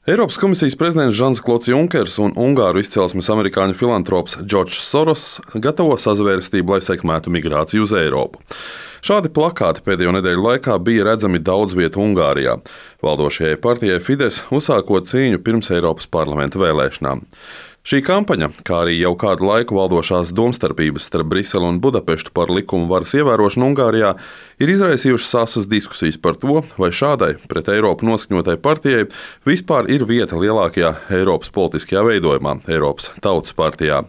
Eiropas komisijas prezidents Žans-Klods Junkers un ungāru izcelsmes amerikāņu filantrops Džordžs Soros gatavo sazvērestību, lai sekmētu migrāciju uz Eiropu. Šādi plakāti pēdējo nedēļu laikā bija redzami daudz vietu Ungārijā, valdošajai partijai Fides uzsākot cīņu pirms Eiropas parlamenta vēlēšanām. Šī kampaņa, kā arī jau kādu laiku valdošās domstarpības starp Briseli un Budapeštu par likumu varas ievērošanu Ungārijā, ir izraisījušas asas diskusijas par to, vai šādai pret Eiropu noskaņotai partijai vispār ir vieta lielākajā Eiropas politiskajā veidojumā, Eiropas Tautas partijā.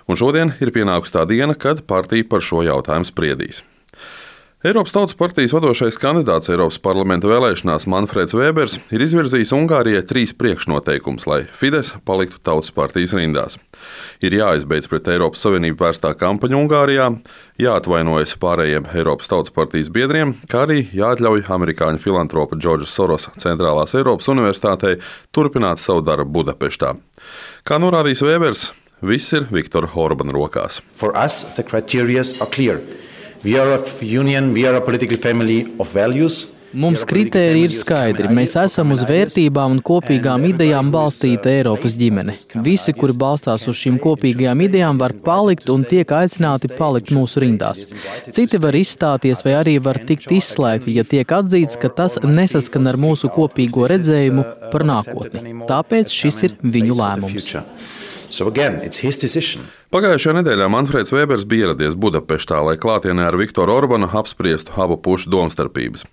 Un šodien ir pienākusi tā diena, kad partija par šo jautājumu spriedīs. Eiropas Tautas partijas vadošais kandidāts Eiropas parlamenta vēlēšanās Manfreds Vēbers ir izvirzījis Ungārijai 3 priekšnoteikumus, lai Fides paliktu Tautas partijas rindās. Ir jāizbeidz pret Eiropas Savienību vērstā kampaņa Ungārijā, jāatvainojas pārējiem Eiropas Tautas partijas biedriem, kā arī jāatļauj amerikāņu filantropa Džordža Sorosa Centrālās Eiropas Universitātei turpināt savu darbu Budapeštā. Kā norādījis Vēbers, viss ir Viktora Orbana rokās. For us, the criteria are clear. We are a union, we are a political family of values. Mums kritēriji ir skaidri. Mēs esam uz vērtībām un kopīgām idejām balstīta Eiropas ģimene. Visi, kuri balstās uz šīm kopīgajām idejām, var palikt un tiek aicināti palikt mūsu rindās. Citi var izstāties vai arī var tikt izslēgti, ja tiek atzīts, ka tas nesaskan ar mūsu kopīgo redzējumu par nākotni. Tāpēc šis ir viņu lēmums. Pagājušajā nedēļā Manfreds Vēbers bija ieradies Budapeštā, lai klātienē ar Viktoru Orbanu apspriestu abu pušu domstarpības.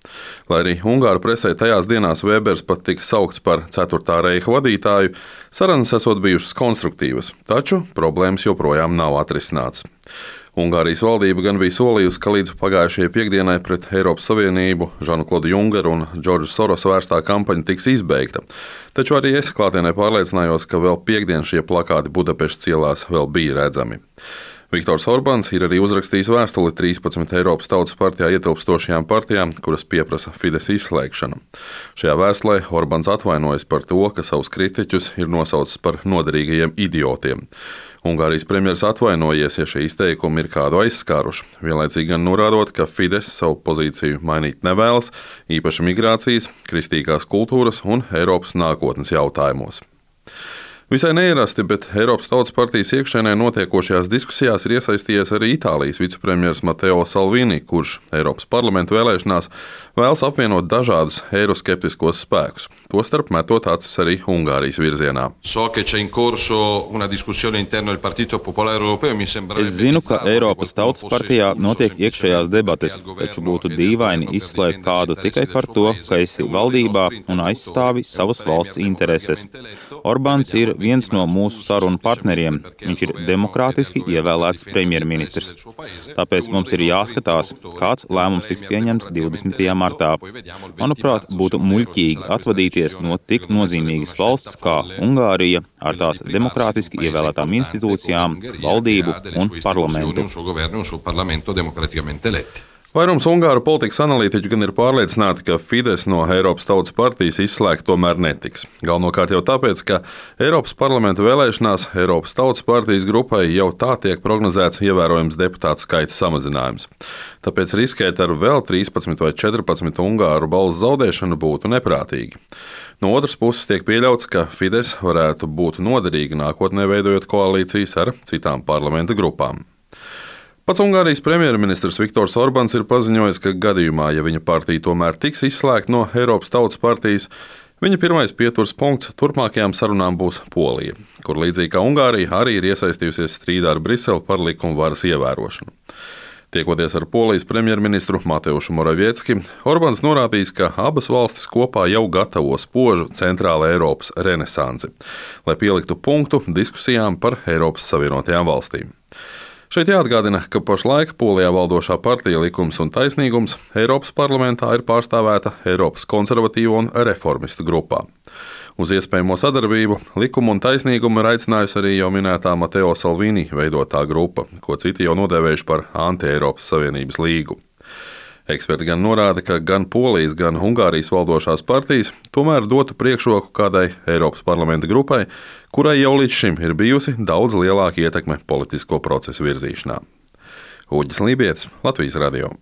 Lai arī Ungāru presē tajās dienās Vēbers pat tika saukts par 4. reiha vadītāju, sarunas esot bijušas konstruktīvas, taču problēmas joprojām nav atrisināts. Ungārijas valdība gan bija solījusi, ka līdz pagājušajai piekdienai pret Eiropas Savienību Žanu-Klodu Junkeru un Džordžu Sorosu vērstā kampaņa tiks izbeigta. Taču arī es klātienē pārliecinājos, ka vēl piekdien šie plakāti Budapeštas ielās vēl bija redzami. Viktors Orbāns ir arī uzrakstījis vēstuli 13 Eiropas Tautas partijā ietilpstošajām partijām, kuras pieprasa Fides izslēgšanu. Šajā vēstulē Orbāns atvainojas par to, ka savus kritiķus ir nosaucis par noderīgajiem idiotiem. Ungārijas premjers atvainojies, ja šie izteikumi ir kādu aizskāruši, vienlaicīgi gan norādot, ka Fides savu pozīciju mainīt nevēlas, īpaši migrācijas, kristīgās kultūras un Eiropas nākotnes jautājumos. Visai neierasti, bet Eiropas Tautas partijas iekšēnē notiekošajās diskusijās ir iesaistījies arī Itālijas vicepremjers Matteo Salvini, kurš Eiropas parlamenta vēlēšanās vēlas apvienot dažādus eiroskeptiskos spēkus, tostarp metot acis arī Ungārijas virzienā. Es zinu, ka Eiropas Tautas partijā notiek iekšējās debates, taču būtu dīvaini izslēgt kādu tikai par to, ka esi valdībā un aizstāvi savas valsts intereses. Orbāns ir viens no mūsu sarunu partneriem. Viņš ir demokrātiski ievēlēts premjerministrs. Tāpēc mums ir jāskatās, kāds lēmums tiks pieņemts 20. martā. Manuprāt, būtu muļķīgi atvadīties no tik nozīmīgas valsts kā Ungārija ar tās demokrātiski ievēlētām institūcijām, valdību un parlamentu. Vairums ungāru politikas analītiķu gan ir pārliecināti, ka Fides no Eiropas Tautas partijas izslēgt tomēr netiks. Galvenokārt jau tāpēc, ka Eiropas parlamenta vēlēšanās Eiropas Tautas partijas grupai jau tā tiek prognozēts ievērojams deputātu skaita samazinājums. Tāpēc riskēt ar vēl 13 vai 14 ungāru balsu zaudēšanu būtu neprātīgi. No otras puses tiek pieļauts, ka Fides varētu būt noderīga nākotnē veidojot koalīcijas ar citām parlamenta grupām. Pats Ungārijas premjerministrs Viktors Orbāns ir paziņojis, ka gadījumā, ja viņa partija tomēr tiks izslēgta no Eiropas Tautas partijas, viņa pirmais pieturas punkts turpmākajām sarunām būs Polija, kur līdzīgi kā Ungārija arī ir iesaistījusies strīdā ar Briseli par likumu varas ievērošanu. Tiekoties ar Polijas premjerministru Mateušu Moraviecki, Orbāns norādījis, ka abas valstis kopā jau gatavo spožu centrāla Eiropas renesansi, lai pieliktu punktu diskusijām par Eiropas Savienotajām valstīm. Šeit jāatgādina, ka pašlaik Polijā valdošā partija Likums un taisnīgums Eiropas parlamentā ir pārstāvēta Eiropas konservatīvo un reformistu grupā. Uz iespējamo sadarbību Likumu un taisnīgumu ir aicinājusi arī jau minētā Matteo Salvini veidotā grupa, ko citi jau nodēvējuši par anti-Eiropas Savienības līgu. Eksperti gan norāda, ka gan Polijas, gan Ungārijas valdošās partijas tomēr dotu priekšroku kādai Eiropas parlamenta grupai, kurai jau līdz šim ir bijusi daudz lielāka ietekme politisko procesu virzīšanā. Uģis Lībietis, Latvijas radio.